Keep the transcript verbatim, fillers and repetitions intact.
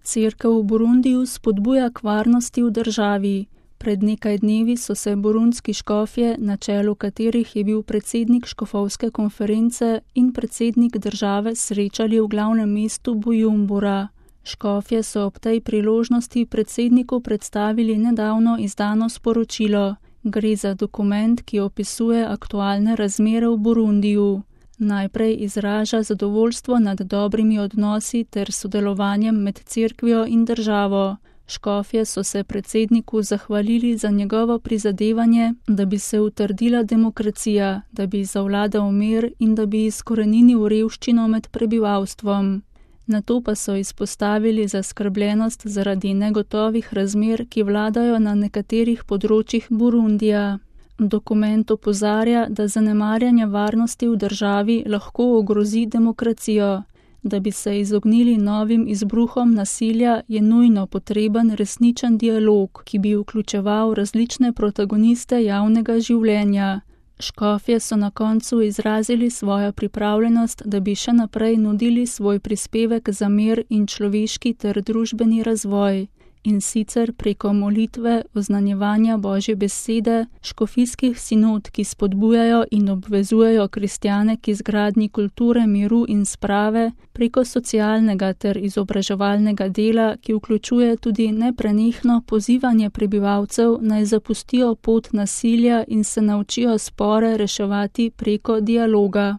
Cerkev v Burundiju spodbuja k varnosti v državi. Pred nekaj dnevi so se burundski škofje, na čelu katerih je bil predsednik škofovske konference in predsednik države, srečali v glavnem mestu Bujumbura. Škofje so ob tej priložnosti predsedniku predstavili nedavno izdano sporočilo. Gre za dokument, ki opisuje aktualne razmere v Burundiju. Najprej izraža zadovoljstvo nad dobrimi odnosi ter sodelovanjem med cerkvijo in državo. Škofje so se predsedniku zahvalili za njegovo prizadevanje, da bi se utrdila demokracija, da bi zavladal mir in da bi izkoreninil revščino med prebivalstvom. Nato pa so izpostavili zaskrbljenost zaradi negotovih razmer, ki vladajo na nekaterih področjih Burundija. Dokument opozarja, da zanemarjanje varnosti v državi lahko ogrozi demokracijo. Da bi se izognili novim izbruhom nasilja, je nujno potreben resničen dialog, ki bi vključeval različne protagoniste javnega življenja. Škofje so na koncu izrazili svojo pripravljenost, da bi še naprej nudili svoj prispevek za mir in človeški ter družbeni razvoj. In sicer preko molitve, oznanjevanja Božje besede, škofijskih sinod, ki spodbujajo in obvezujejo kristjane k izgradnji kulture miru in sprave, preko socialnega ter izobraževalnega dela, ki vključuje tudi neprenehno pozivanje prebivalcev, naj zapustijo pot nasilja in se naučijo spore reševati preko dialoga.